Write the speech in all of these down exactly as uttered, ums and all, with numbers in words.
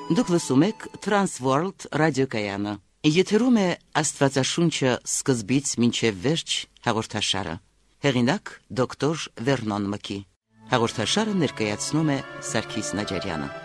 Դուք լսում եք Transworld ռադիոկայանը։ Եթերում է Աստվածաշունչը սկզբից մինչև վերջ հաղորդաշարը։ Հեղինակ դոկտոր Վերնոն Մկի։ Հաղորդաշարը ներկայացնում է Սարգիս Նաջարյանը։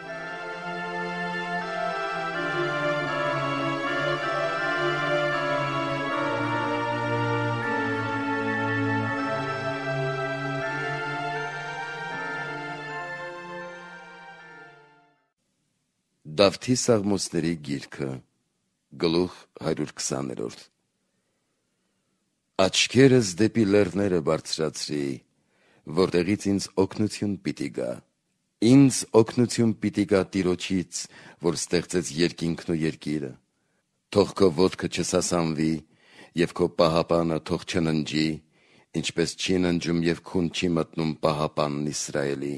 Դավթի Սաղմոսների գիրքը, գլուխ հարյուր քսաներորդ Աչքերս դեպի լեռները բարձրացրի, որտեղից ինձ օգնություն պիտի գա։ Ինձ օգնություն պիտի գա Տիրոջից, որ ստեղծեց երկինքն ու երկիրը։ Թող քո ոտքը չսասանվի, և քո պահապանը թող չննջի, ինչպես չի ննջում և քուն չի մտնում պահապանն Իսրայելի։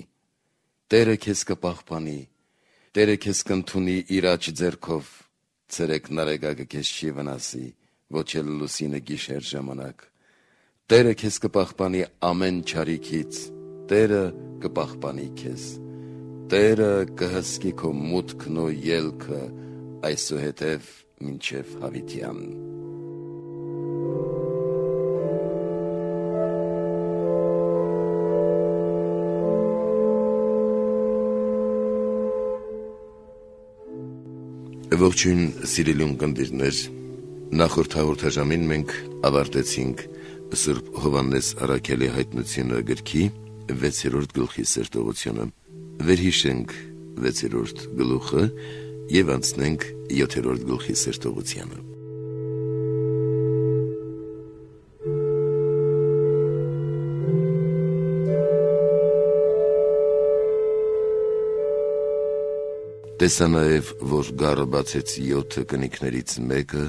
Տերը քեզ կպահպանի, Տերը քեզ կընդունի իր աջ ձեռքով, ցերեկն արեգակը քեզ չի վնասի, ոչ էլ լուսինը գիշեր ժամանակ։ Տերը քեզ կպահպանի ամեն չարիքից, Տերը կպահպանի քեզ։ Տերը կհսկի քո մուտքն ու ելքը այսուհետև մինչև հավիտյան։ Ողջույն սիրելի ունկնդիրներ, նախորդ հաղորդաժամին մենք ավարտեցինք Սուրբ Հովհաննես առաքյալի հայտնությունը գրքի վեցերորդ գլխի սերտողությունը։ Վերհիշենք վեցերորդ գլուխը և անցնենք յոթերորդ գլխի սերտողությանը։ Տեսա նաև, որ գառը բացեց յոթը կնիկներից մեկը,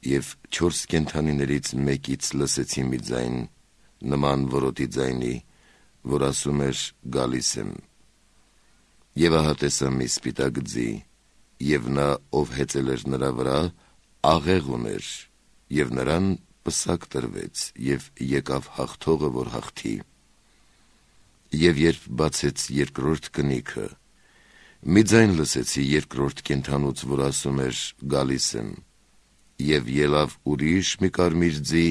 և չորս կենդանիներից մեկից լսեցի մի ձայն, նման որոտի ձայնի, որ ասում էր գալիս եմ։ Եվ ահա տեսա մի սպիտակ ձի, և նա, ով հեծել էր նրա վրա, աղեղ ուներ, և նրան պսակ տրվեց, և եկավ հաղթողը, որ հաղթի։ Եվ երբ բացեց երկրորդ կնիքը, մի ձայն լսեցի երկրորդ կենդանուց, որ ասում էր գալիս եմ, և ելավ ուրիշ մի կարմիր ձի,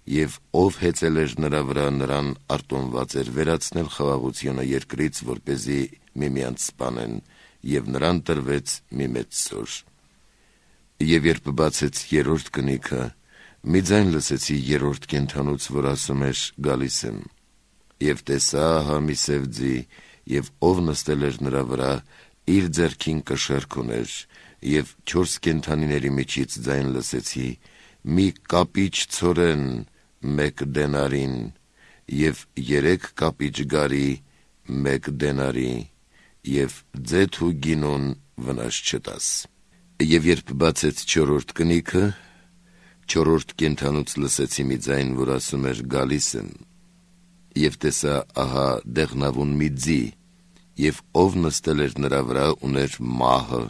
և ով հեծել էր նրա վրա, նրան արտոնված էր վերացնել խաղաղությունը երկրից, որպեսզի միմյանց սպանեն, և նրան տրվեց մի մեծ սոր։ Եվ երբ բացեց երրորդ կնիքը, մի ձայն լսեցի երրորդ կենդանուց, որ ասում էր գալիս եմ, և տեսա ահա մի սև ձի, և ով նստել էր նրա վրա, իր ձեռքին կշեռք ուներ, և չորս կենդանիների միջից ձայն լսեցի, մի կապիչ ցորեն մեկ դենարին, և երեք կապիչ գարի մեկ դենարի, և ձեթ ու գինուն վնաս չտաս։ Եվ երբ բացեց չորրորդ կնիքը, չորրորդ կենդանուց լսեցի մի ձայն, որ ասում էր գալիս եմ, և տեսա ահա դեղնավուն մի ձի, և ով նստել էր նրա վրա, ուներ մահը,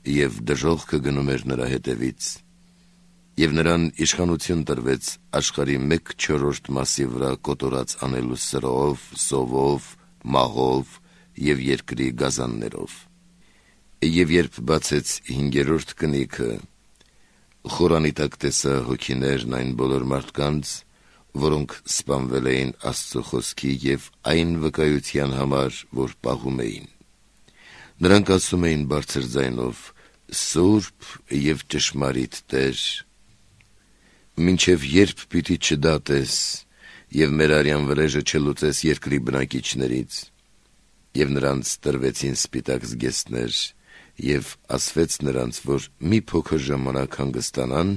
և դժոխքը գնում էր նրա հետևից, և նրան իշխանություն տրվեց աշխարհի մեկ չորրորդ մասի վրա կոտորած անելու սրով, սովով, մահով և երկրի գազաններով։ Եվ երբ բացեց հինգերորդ կնիքը, խորանի տակ տեսա հոգիներն այն բոլոր մարդկանց, որոնք սպանվել էին Աստծո խոսքի և այն վկայության համար, որ պահում էին։ Նրանք ասում էին բարձր ձայնով. «Սուրբ և ճշմարիտ Տեր, մինչև երբ պիտի չդատես և մեր արյան վրեժը չլուծես երկրի բնակիչներից»։ Եվ նրանց տրվեցին սպիտակ զգեստներ, և ասվեց նրանց, որ մի փոքր ժամանակ հանգստանան,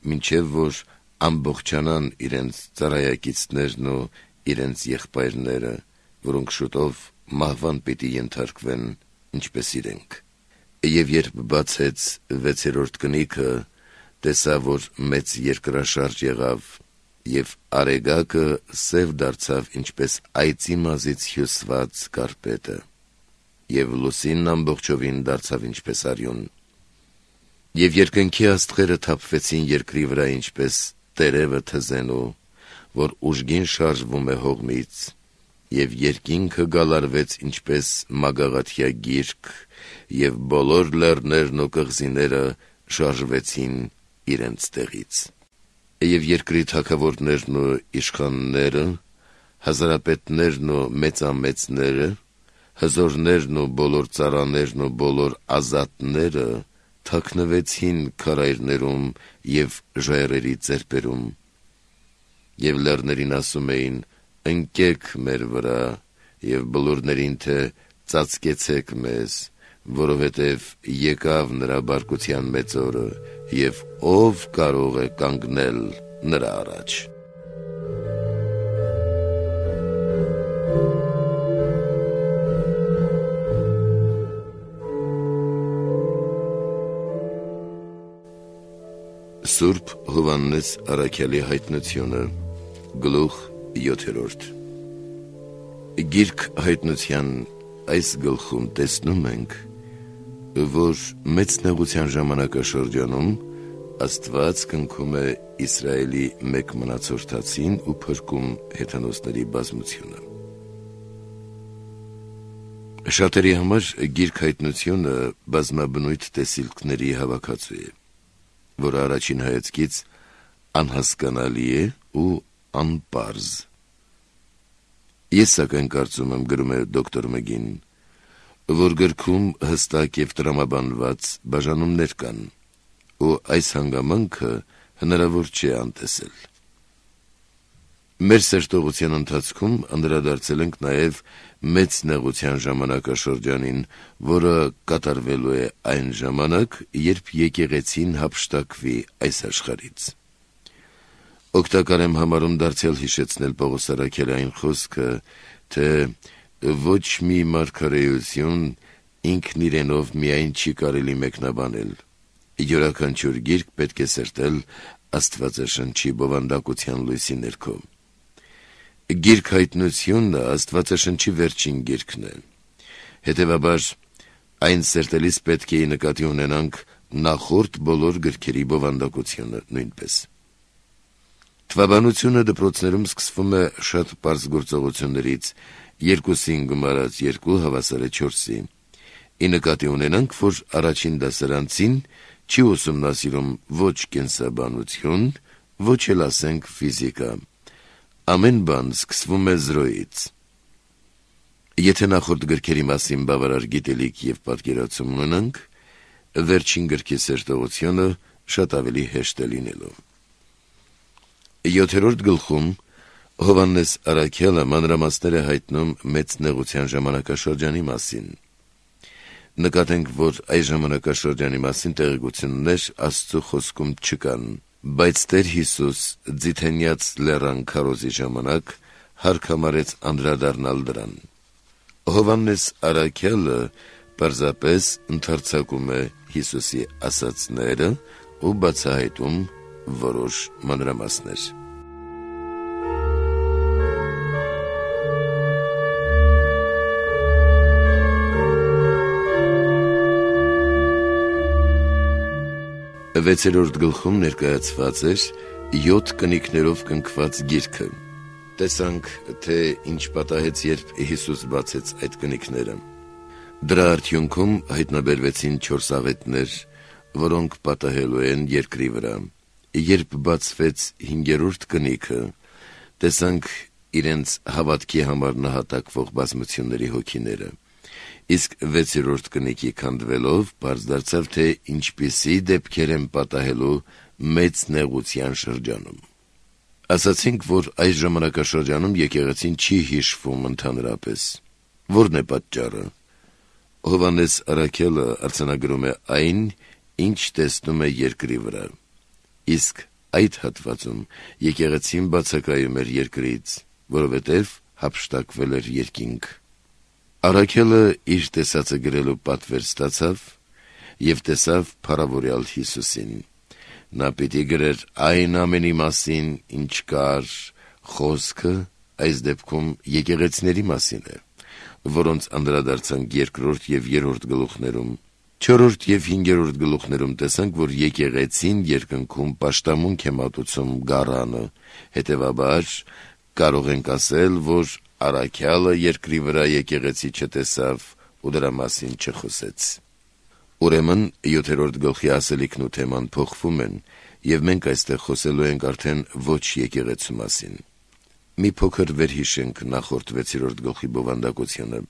մինչև որ ամբողջանան իրենց ծառայակիցներն ու իրենց եղբայրները, որոնք շուտով մահվան պիտի ենթարկվեն, ինչպես իրենք։ Եվ երբ բացեց վեցերորդ կնիքը, տեսա, որ մեծ երկրաշարժ եղավ, և արեգակը սև դարձավ, ինչպես այծի մազից հյուսված կարպետը, և լուսինն ամբողջովին դարձավ ինչպես արյուն։ Եվ երկնքի աստղերը թափվեցին երկրի վրա, ինչպես տերևը թզենու, որ ուժգին շարժվում է հողմից, եւ երկինքը գալարվեց ինչպես մագաղաթյա գիրք, եւ բոլոր լեռներն ու կղզիները շարժվեցին իրենց տեղից։ Եվ երկրի թագավորներն ու իշխանները, հազարապետներն ու մեծամեծները, հզորներն ու բոլոր ծառաներն ու բոլոր ազատները թաքնվեցին քարայրներում եւ ժայռերի ծերպերում, եւ լեռներին ասում էին. ընկեք մեր վրա, եւ բլուրներին թե ծածկեցեք մեզ, որովհետև եկավ նրա բարկության մեծ օրը, եւ ով կարող է կանգնել նրա առաջ։ Սուրբ Հովհաննես Առաքյալի հայտնությունը, գլուխ յոթերորդ։ Գիրք հայտնության այս գլխում տեսնում ենք, որ մեծ նեղության ժամանակաշրջանում Աստված կնքում է Իսրայելի մեկ մնացորդացին ու փրկում հեթանոսների բազմությունը։ Շատերի համար գիրք հայտնությունը բազմաբնույթ տեսիլքների հավաքածու է, որը առաջին հայացքից անհասկանալի է ու անպարզ։ Ես սակայն կարծում եմ, գրում է դոկտոր Մգին, որ գրքում հստակ և տրամաբանված բաժանումներ կան, ու այս հանգամանքը հնարավոր չէ անտեսել։ Մեր սերտողության ընթացքում անդրադարձել ենք նաև մեծ նեղության ժամանակաշրջանին, որը կատարվելու է այն ժամանակ, երբ եկեղեցին հափշտակվի այս աշխարհից։ Օգտակար եմ համարում դարձյալ հիշեցնել Պողոս առաքյալային խոսքը, թե ոչ մի մարգարեություն ինքն իրենով միայն չի կարելի մեկնաբանել։ Յուրաքանչյուր գիրք պետք է սերտել Աստվածաշնչի բովանդակության լույսի ներքո։ Գիրք հայտնությունը Աստվածաշնչի վերջին գիրքն է։ Հետևաբար, այն սերտելիս պետք է նկատի ունենանք նախորդ բոլոր գրքերի բովանդակությունը նույնպես։ Թվաբանությունը դպրոցներում սկսվում է շատ պարզ գործողություններից, երկուսին գումարած երկու հավասար է չորսի։ Ի նկատի ունենանք, որ առաջին դասարանցին չի ուսումնասիրում ոչ կենսաբանություն, ոչ էլ ասենք ֆիզիկա։ Ամեն բան սկսվում է զրոյից։ Եթե նախորդ գրքերի մասին բավարար գիտելիք և պատկերացում ունենանք, վերջին գրքի սերտողությունը շատ ավելի հեշտ է լինելու։ Յոթերորդ գլխում Հովհաննես առաքյալը մանրամասներ է հայտնում մեծ նեղության ժամանակաշրջանի մասին։ Նկատենք, որ այս ժամանակաշրջանի մասին տեղեկություններ Աստծո խոսքում չկան, բայց Տեր Հիսուս Ձիթենյաց լեռան քարոզի ժամանակ հարկամարեց անդրադառնալ դրան։ Հովհաննես առաքյալը պարզապես ընդարձակում է Հիսուսի ասածները ու բացահայտում որոշ մանրամասներ։ Վեցերորդ գլխում ներկայացված էր յոթ կնիկներով կնքված գիրքը։ Տեսանք, թե ինչ պատահեց, երբ Հիսուս բացեց այդ կնիկները։ Դրա արդյունքում հայտնաբերվեցին չորս աղետներ, որոնք պատահելու են երկրի վրա։ Երբ բացվեց հինգերորդ կնիքը, տեսանք իրենց հավատքի համար նահատակվող բազմությունների հոգիները։ Իսկ վեցերորդ կնիկի քանդվելով պարզ դարձավ, թե ինչպիսի դեպքեր են պատահելու մեծ նեղության շրջանում։ Ասացինք, որ այս ժամանակաշրջանում եկեղեցին չի հիշվում ընդհանրապես։ Որն է պատճառը։ Հովհաննես առաքյալը արձանագրում է այն, ինչ տեսնում է երկրի վրա։ Իսկ այդ հատվածում եկեղեցին բացակայում էր երկրից, որովհետև հափշտակվել էր երկինք։ Առաքյալը իր տեսածը գրելու պատվեր ստացավ և տեսավ փառավորյալ Հիսուսին։ Նա պիտի գրեր այն ամենի մասին, ինչ կար, խոսքը այս դեպքում եկեղեցիների մասին է, որոնց անդրադարձանք երկրորդ և երրորդ գլուխներում։ Չորրորդ և հինգերորդ գլուխներում տեսանք, որ եկեղեցին երկնքում պաշտամունք է մատուցում գառանը, հետևաբար կարող ենք ասել, որ առաքյալը երկրի վրա եկեղեցի չտեսավ ու դրա մասին չխոսեց։ Ուրեմն յոթերորդ գլխի ասելիքն ու թեման փոխվում են, եւ մենք այստեղ խոսելու ենք արդեն ոչ եկեղեցու մասին։ Մի փոքր վերհիշենք նախորդ վեցերորդ գլխի բովանդակությունը։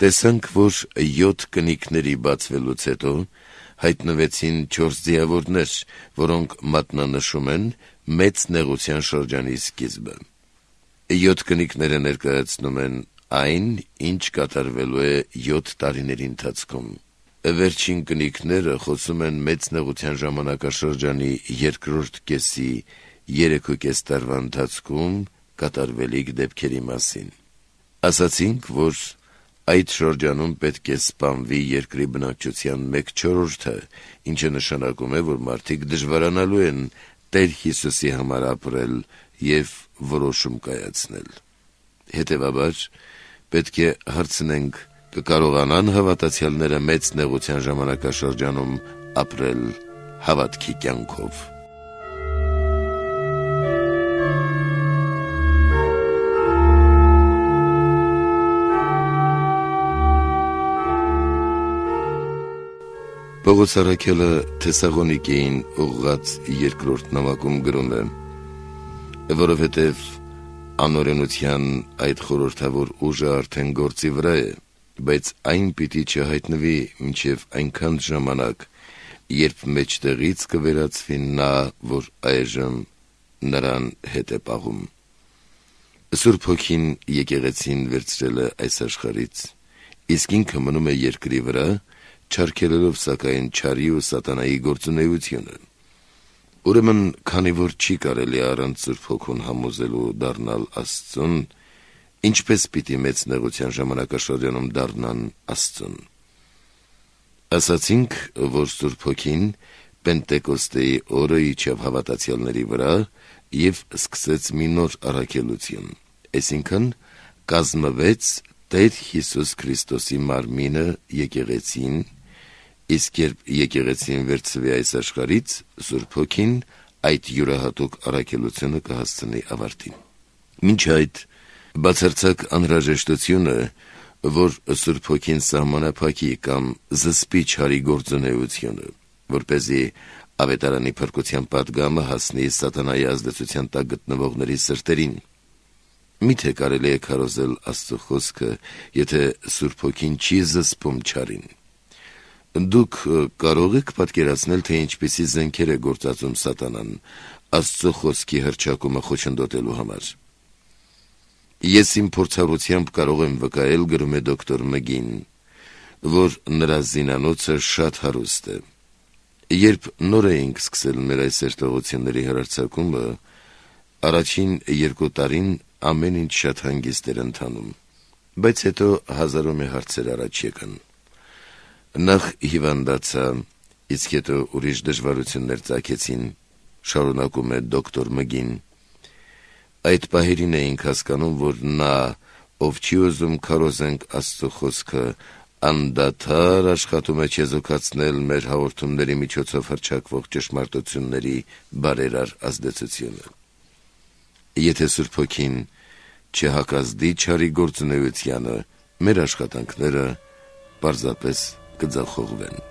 Տեսանք, որ յոթ կնիկների բացվելուց հետո հայտնվեցին չորս ձիավորներ, որոնք մատնանշում են մեծ նեղության շրջանի սկիզբը։ Յոթ կնիկները ներկայացնում են այն, ինչ կատարվելու է յոթ տարիների ընթացքում։ Վերջին կնիկները խոսում են մեծ նեղության ժամանակաշրջանի երկրորդ կեսի երեք ու կես տարվա ընթացքում կատարվելիք դեպքերի մասին։ Ասացինք, որ այդ շրջանում պետք է սպանվի երկրի բնակչության մեկ չորրորդը, ինչը նշանակում է, որ մարդիկ դժվարանալու են Տեր Հիսուսի համար ապրել եւ որոշում կայացնել։ Հետևաբար պետք է հարցնենք, կկարողանան հավատացյալները մեծ նեղության ժամանակաշրջանում ապրել հավատքի կյանքով։ Պողոս առաքյալը Թեսաղոնիկեին ուղղած երկրորդ նամակում գրում է. որովհետև անօրենության այդ խորհրդավոր ուժը արդեն գործի վրա է, բայց այն պիտի չհայտնվի մինչև այնքան ժամանակ, երբ մեջտեղից կվերածվի նա, որ այժմ նրան հետ է պահում։ Սուրբ Հոգին եկեղեցին վերցրել է այս աշխարհից, իսկ ինքը մնում է երկրի վրա, չարգելելով սակայն չարի ու սատանայի գործունեությունը։ Ուրեմն, քանի որ չի կարելի առանց Սուրբ Հոգուն համոզելու դառնալ Աստծուն, ինչպես պիտի մեծ նեղության ժամանակաշրջանում դառնան Աստծուն։ Ասացինք, որ Սուրբ Հոգին Պենտեկոստեի օրը իջավ հավատացյալների վրա եւ սկսեց մի նոր առաքելություն, այսինքն կազմվեց Տեր Հիսուս Քրիստոսի մարմինը եկեղեցին, իսկ երբ եկեղեցին վերցվի այս աշխարհից, Սուրբ Հոգին այդ յուրահատուկ առաքելությունը կհասցնի ավարտին։ Մինչ այդ բացարձակ անհրաժեշտությունը, որ Սուրբ Հոգին սահմանափակի կամ զսպի չարի գործունեությունը, որպեսզի ավետարանի փրկության պատգամը հասնի սատանայի ազդեցության տակ գտնվողների սրտերին։ Միթե կարելի է քարոզել Աստծո խոսքը, եթե Սուրբ Հոգին չի զսպում չարին։ Դուք կարող եք պատկերացնել, թե ինչպիսի զենքեր է գործածում սատանան Աստծո խոսքի հռչակումը խոչընդոտելու համար։ Ես իմ փորձառությամբ կարող եմ վկայել, գրում է դոկտոր Մգին, որ նրա զինանոցը շատ հարուստ է։ Երբ նոր էինք սկսել մեր այս երթողությունների հեռարձակումը, առաջին երկու տարին ամեն ինչ շատ հանգիստ էր ընթանում, բայց հետո հազարամյա հարցեր առաջ եկան։ Նախ հիվանդացա, իսկ հետո ուրիշ դժվարություններ ծագեցին, շարունակում է դոկտոր Մգին։ Այդ պահերին էինք հասկանում, որ նա, ով չի ուզում քարոզենք Աստծո խոսքը, անդադար աշխատում է չեզոքացնել մեր հաղորդումների միջոցով հռչակվող ճշմարտությունների բարերար ազդեցությունը։ Եթե Սուրբ Հոգին չհակազդի չարի գործունեությանը, մեր աշխատանքները պարզապես կձախողվեն։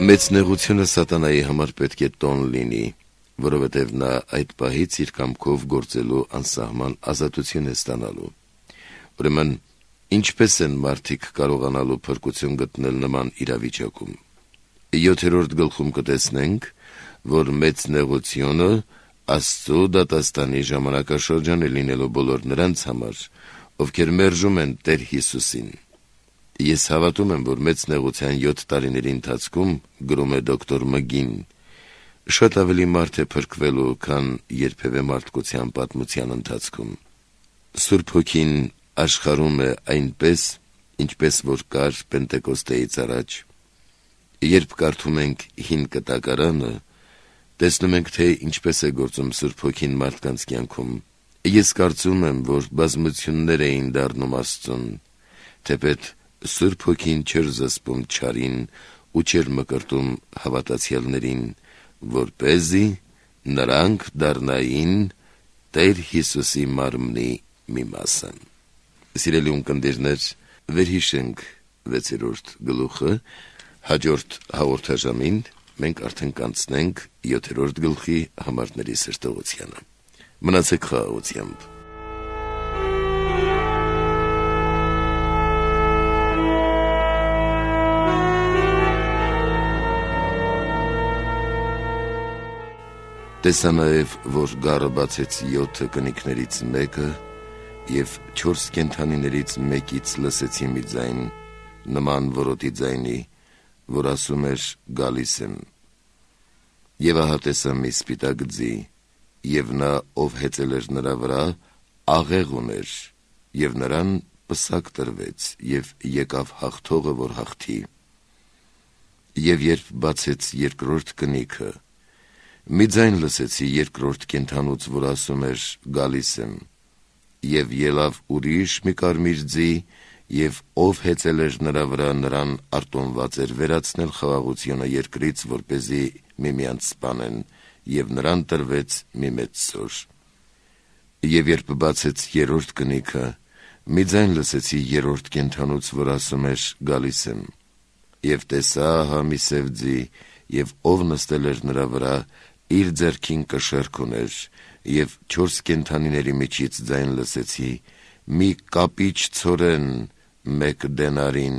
Մեծ նեղությունը սատանայի համար պետք է տոն լինի, որովհետև նա այդ պահից իր կամքով գործելու անսահման ազատություն է ստանալու։ Ուրեմն, ինչպես են մարդիկ կարողանալու փրկություն գտնել նման իրավիճակում։ Յոթերորդ գլխում կտեսնենք, որ մեծ նեղությունը Աստծո դատաստանի ժամանակաշրջան է լինելու բոլոր նրանց համար, ովքեր մերժում են Տեր Հիսուսին։ Ես հավատում եմ, որ մեծ նեղության յոթ տարիների ընթացքում, գրում է դոկտոր Մգին, շատ ավելի մարդ է փրկվելու, քան երբևէ մարդկության պատմության ընթացքում։ Սուրբ Հոգին աշխարհում է այնպես, ինչպես որ կար Պենտեկոստեից առաջ, Երբ կարդում ենք հին կտակարանը, տեսնում ենք, թե ինչպես է գործում Սուրբ Հոգին մարդկանց կյանքում։ Ես կարծում եմ, որ բազմություններ էին դառնում Աստծուն, թեպետ Սուրբ Հոգին չէր զսպում չարին ու չէր մկրտում հավատացյալներին, որպեսզի նրանք դառնային Տեր Հիսուսի մարմնի մի մասը։ Սիրելի ունկնդիրներ, վերհիշենք վեցերորդ գլուխը, հաջորդ հաղորդաժամին մենք արդեն կանցնենք յոթերորդ գլխի համարների սրտողությանը։ Մնացեք խաղաղությամբ։ Տեսա նաև, որ գառը բացեց յոթ կնիկներից մեկը, և չորս կենդանիներից մեկից լսեցի մի ձայն, նման որոտի ձայնի, որ ասում էր գալիս եմ։ Եվ ահա տեսա մի սպիտակ ձի, և նա, ով հեծել էր նրա վրա, աղեղ ուներ, և նրան պսակ տրվեց, և եկավ հաղթողը, որ հաղթի։ Եվ երբ բացեց երկրորդ կնիքը, մի ձայն լսեցի երկրորդ կենդանուց, որ ասում էր գալիս եմ, և ելավ ուրիշ մի կարմիր ձի, և ով հեծել էր նրա վրա, նրան արտոնված էր վերացնել խաղաղությունը երկրից, որպեսզի միմյանց սպանեն, և նրան տրվեց մի մեծ սոր։ Եվ երբ բացեց երրորդ կնիքը, մի ձայն լսեցի երրորդ կենդանուց, որ ասում էր գալիս եմ, և տեսա ահա մի սև ձի, և ով նստել էր նրա վրա, իր ձեռքին կշեռք ուներ, և չորս կենդանիների միջից ձայն լսեցի, մի կապիչ ցորեն մեկ դենարին,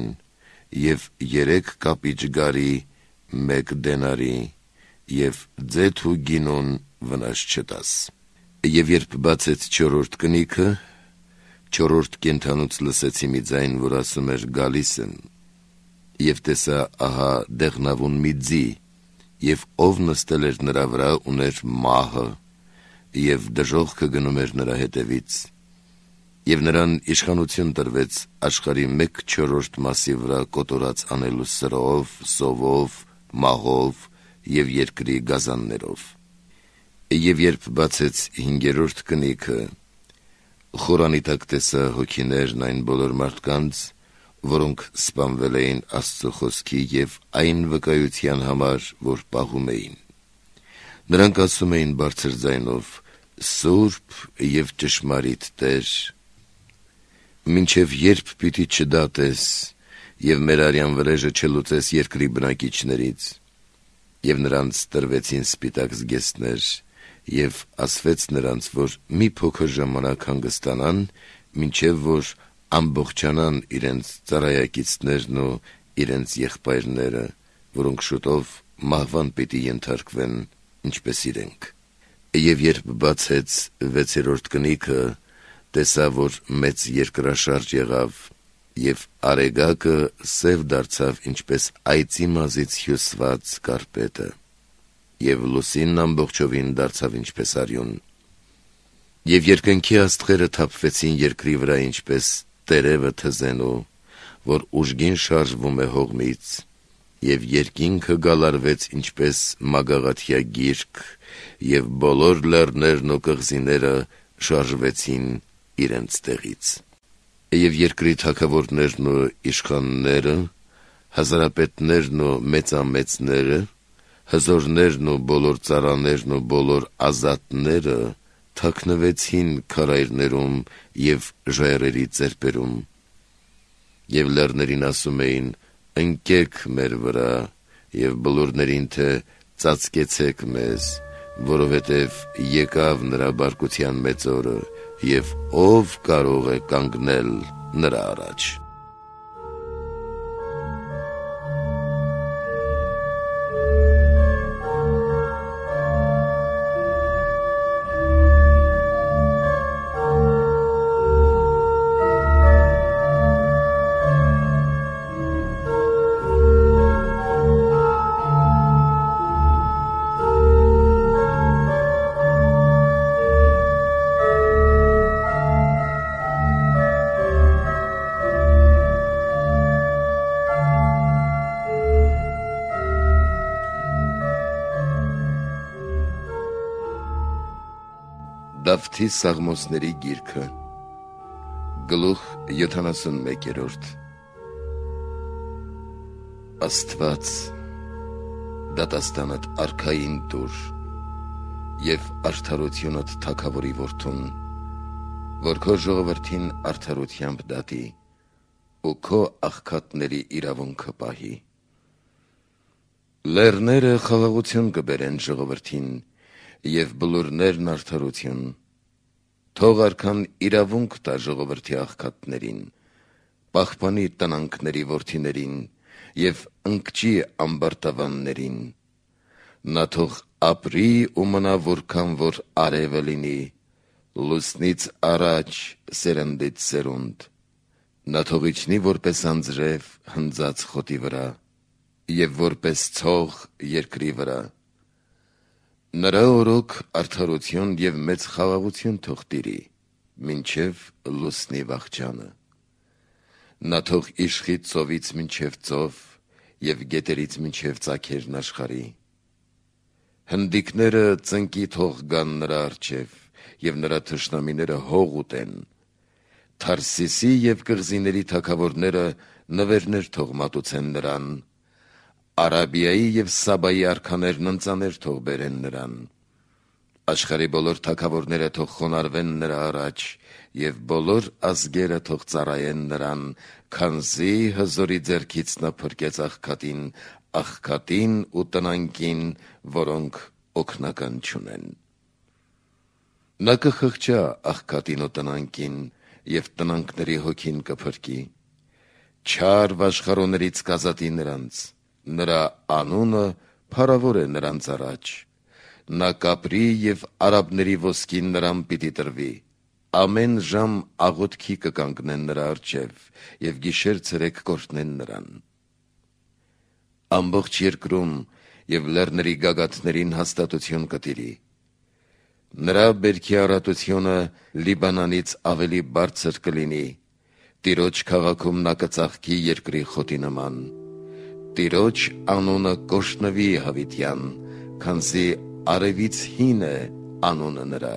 և երեք կապիչ գարի մեկ դենարի, և ձեթ ու գինուն վնաս չտաս։ Եվ երբ բացեց չորրորդ կնիքը, չորրորդ կենդանուց լսեցի մի ձայն, որ ասում էր գալիս եմ, և տեսա ահա դեղնավուն մի ձի, և ով նստել էր նրա վրա, ուներ մահը, և դժոխքը գնում էր նրա հետևից, և նրան իշխանություն տրվեց աշխարհի մեկ չորրորդ մասի վրա կոտորած անելու սրով, սովով, մահով և երկրի գազաններով։ Եվ երբ բացեց հինգերորդ կնիքը, խորանի տակ տեսա հոգիներն այն բոլոր մարդկանց, որոնք սպանվել էին Աստծո խոսքի և այն վկայության համար, որ պահում էին։ Նրանք ասում էին բարձր ձայնով. «Սուրբ և ճշմարիտ Տեր, մինչև երբ պիտի չդատես և մեր արյան վրեժը չլուծես երկրի բնակիչներից»։ Եվ նրանց տրվեցին սպիտակ զգեստներ, և ասվեց նրանց, որ մի փոքր ժամանակ հանգստանան, մինչև որ ամբողջանան իրենց ծառայակիցներն ու իրենց եղբայրները, որոնք շուտով մահվան պիտի ենթարկվեն, ինչպես իրենք։ Եվ երբ բացեց վեցերորդ կնիքը, տեսա, որ մեծ երկրաշարժ եղավ, և արեգակը սև դարձավ, ինչպես այծի մազից հյուսված կարպետը, և լուսինն ամբողջովին դարձավ ինչպես արյուն։ Եվ երկնքի աստղերը թափվեցին երկրի վրա, ինչպես տերևը թզենու, որ ուժգին շարժվում է հողմից, և երկինքը գալարվեց ինչպես մագաղաթյա գիրք, և բոլոր լեռներն ու կղզիները շարժվեցին իրենց տեղից։ Եվ երկրի թագավորներն ու իշխանները, հազարապետներն ու մեծամեծները, հզորներն ու բոլոր ծառաներն ու բոլոր ազատները թաքնվեցին քարայրներում և ժայռերի ծերպերում, և լեռներին ասում էին. ընկեք մեր վրա, և բլուրներին, թե ծածկեցեք մեզ, որովհետև եկավ նրա բարկության մեծ օրը, և ով կարող է կանգնել նրա առաջ։ Դավթի Սաղմոսների գիրքը գլուխ յոթանասունմեկերորդ Աստված դատաստանդ արքային տուր և արդարությունդ թագավորի որդուն, որ քո ժողովրդին արդարությամբ դատի ու քո աղքատների իրավունքը պահի։ Լեռները խաղաղություն կբերեն ժողովրդին և բլուրներն արդարություն, թող արքան իրավունք տա ժողովրդի աղքատներին, պահպանի տնանքների որդիներին և ընկճի ամբարտավաններին, նա թող ապրի ու մնա որքան որ արևը լինի, լուսնից առաջ սերնդից սերունդ, նա թող իջնի որպես անձրև հնձած խոտի վրա և որպես ցող երկրի վրա, նրա օրոք արդարություն և մեծ խաղաղություն թող տիրի, մինչև լուսնի վախճանը, նա թող իշխի ծովից մինչև ծով և գետերից մինչև ծագերն աշխարհի, հնդիկները ծնկի թող գան նրա առջև և նրա թշնամիները հող ուտեն, Թարսիսի և կղզիների թագավորները նվերներ թող մատուցեն նրան, Արաբիայի և Սաբայի արքաներն ընծաներ թող բերեն նրան, աշխարհի բոլոր թագավորները թող խոնարհվեն նրա առաջ և բոլոր ազգերը թող ծառայեն նրան, քանզի հզորի ձեռքից նա փրկեց աղքատին, աղքատին ու տնանքին, որոնք օգնական չունեն։ Նա կխղճա աղքատին ու տնանքին և տնանքների հոգին կփրկի, չար վաշխառոներից կազատի նրանց, նրա անունը փառավոր է նրանց առաջ, նա կապրի և արաբների ոսկին նրան պիտի տրվի, ամեն ժամ աղոթքի կկանգնեն նրա առջև և գիշեր ցերեկ կօրհնեն նրան։ Ամբողջ երկրում և լեռների գագաթներին հաստատություն կտիրի, նրա բերքի առատությունը Լիբանանից ավելի բարձր կլինի, Տիրոջ քաղաքում նա կծաղկի երկրի խոտի նման, Տիրոջ անունը կօրհնվի հավիտյան, քանզի արևից հին է անունը նրա,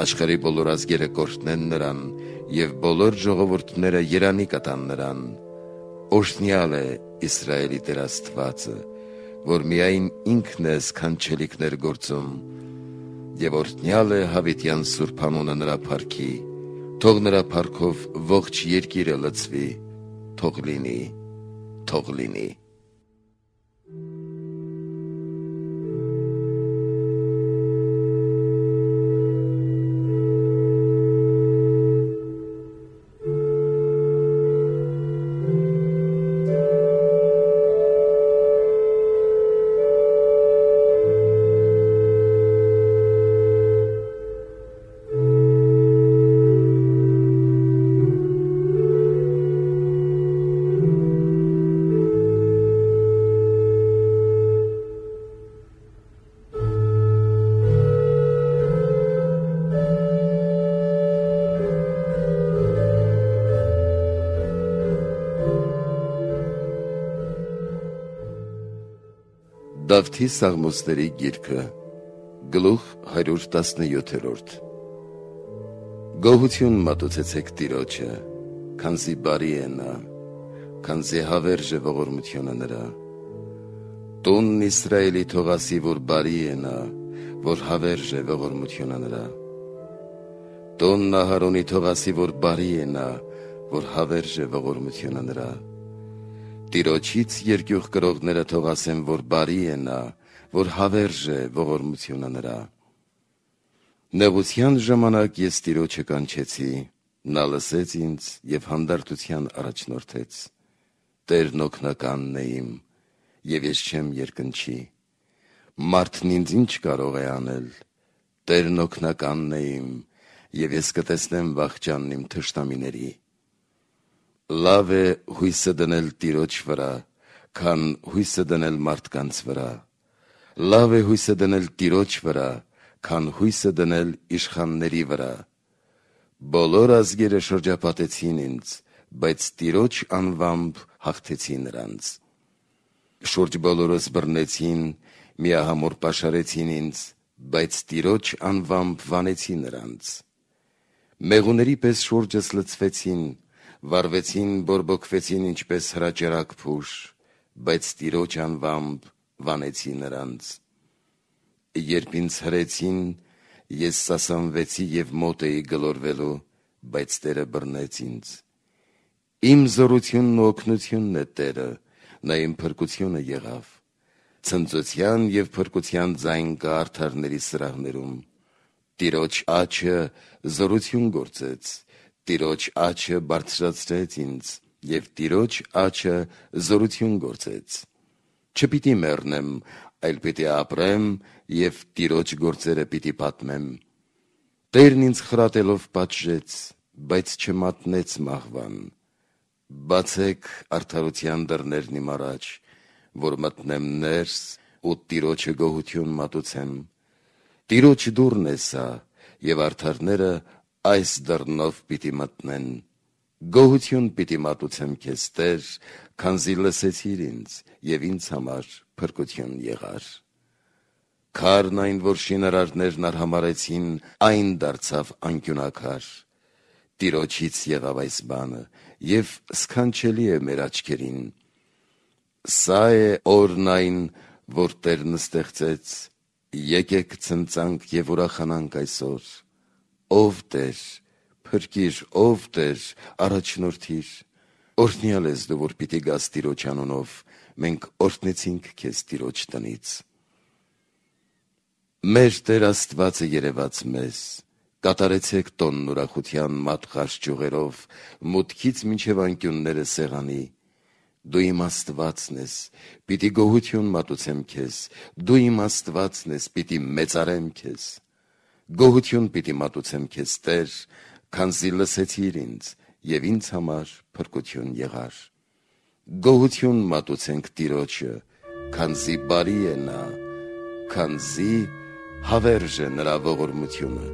աշխարհի բոլոր ազգերը կօրհնեն նրան և բոլոր ժողովուրդները երանի կտան նրան, օրհնյալ է Իսրայելի Տեր Աստվածը, որ միայն ինքն է սքանչելիքներ գործում, և օրհնյալ է հավիտյան սուրբ անունը նրա փառքի, թող նրա փառքով ողջ երկիրը լցվի, թող լինի, թող լինի։ Դավթի Սաղմոսների գիրքը գլուխ հարյուր տասնյոթերորդ Գոհություն մատուցեցեք Տիրոջը, քանզի բարի է նա, քանզի հավերժ է ողորմությունը նրա, տունն Իսրայելի թող ասի, որ բարի է նա, որ հավերժ է ողորմությունը նրա, տունն Ահարոնի թող ասի, որ բարի է նա, որ հավերժ է ողորմությունը նրա, Տիրոջից երկյուղ կրողները թող ասեն, որ բարի է նա, որ հավերժ է ողորմությունը նրա։ Նեղության ժամանակ ես Տիրոջը կանչեցի, նա լսեց ինձ և հանդարտության առաջնորդեց։ Տերն օգնականն է իմ, և ես չեմ երկնչի։ Մարդն ինձ ինչ կարող է անել։ Տերն օգնականն է իմ, և ես կտեսնեմ վախճանն իմ թշնամիների։ Լավ է հույսը դնել Տիրոջ վրա, քան հույսը դնել մարդկանց վրա, լավ է հույսը դնել Տիրոջ վրա, քան հույսը դնել իշխանների վրա, բոլոր ազգերը շրջապատեցին ինձ, բայց Տիրոջ անվամբ հաղթեցի նրանց, շուրջ բոլորս բռնեցին, միահամուռ պաշարեցին ինձ, բայց տիրոջ անվամբ վանեցի նրանց։ Մեղուների պես շուրջս լցվեցին, վառվեցին, բորբոքվեցին ինչպես հրաճարակ փուշ, բայց տիրոջ անվամբ վանեցի նրանց։ Երբ ինձ հրեցին, ես սասանվեցի և մոտ էի գլորվելու, բայց Տերը բռնեց ինձ։ Իմ զորությունն ու օգնությունն է Տերը, նա իմ փրկությունը եղավ։ Ցնծության և փրկության ձայն կա արդարների սրահներում։ Տիրոջ աջը զորություն գործեց, Տիրոջ աջը բարձրացրեց ինձ, և Տիրոջ աջը զորություն գործեց։ Չպիտի մեռնեմ, այլ պիտի ապրեմ և Տիրոջ գործերը պիտի պատմեմ։ Տերն ինձ խրատելով պատժեց, բայց չմատնեց մահվան։ Բացեք արդարության դռներն իմ առաջ, որ մտնեմ ներս ու Տիրոջը գոհություն մատուցեմ։ Տիրոջ դուռն է սա, և արդարները այս դռնով պիտի մտնեն։ Գոհություն պիտի մատուցեմ քեզ, Տեր, քանզի լսեցիր ինձ և ինձ համար փրկություն եղար։ Քարն այն, որ շինարարներն արհամարհեցին, այն դարձավ անկյունակար։ Տիրոջից եղավ այս բանը, և սքանչելի է մեր աչքերին։ Սա է օրն այն, որ Տերն ստեղծեց, եկեք ցնծանք և ուրախանանք այսօր։ Ով Տեր, փրկիր, ով Տեր, առաջնորդիր։ Օրհնյալ ես դու, որ պիտի գաս Տիրոջ անունով, մենք օրհնեցինք քեզ Տիրոջ տնից։ Մեր Տեր Աստվածը երևաց մեզ, կատարեցեք տոնն ուրախության մատղաշ ճյուղերով, մուտքից մինչև անկյունները սեղանի։ Դու իմ Աստվածն ես, պիտի գոհություն մատուցեմ քեզ, դու իմ Աստվածն ես, պիտի մեծարեմ քեզ։ Գոհություն պիտի մատուցեմ քեզ, Տեր, քանզի լսեցիր ինձ և ինձ համար փրկություն եղար։ Գոհություն մատուցենք Տիրոջը, քանզի բարի է նա, քանզի հավերժ է նրա ողորմությունը։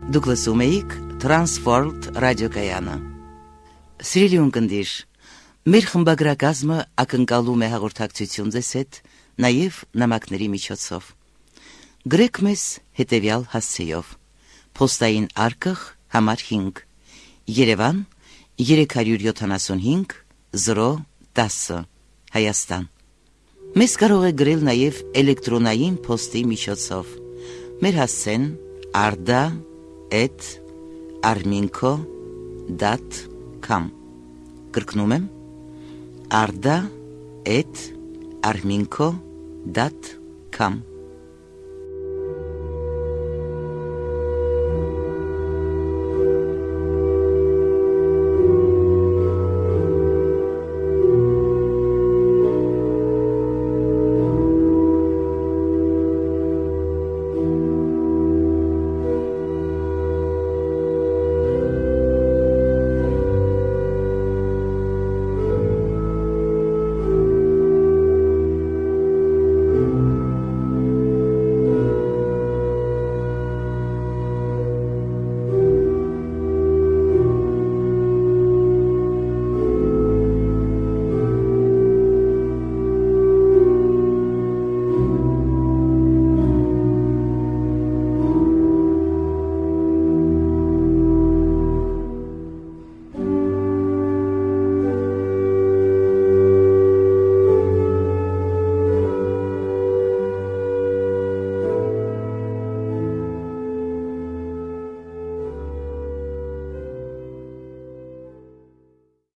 Դուք լսում էիք Transworld ռադիոկայանը։ Սիրելի ունկնդիր, մեր խմբագրակազմը ակնկալում է հաղորդակցություն ձեզ հետ նաև նամակների միջոցով։ Գրեք մեզ հետևյալ հասցեով. Պոստային արկղ համար հինգ, Երևան երեք հարյուր յոթանասունհինգ զրո տասը, Հայաստան։ Մեզ կարող է գրել նաև էլեկտրոնային փոստի միջոցով։ Մեր հասցեն arda at arminco dot com Կրկնում եմ arda at arminco dot com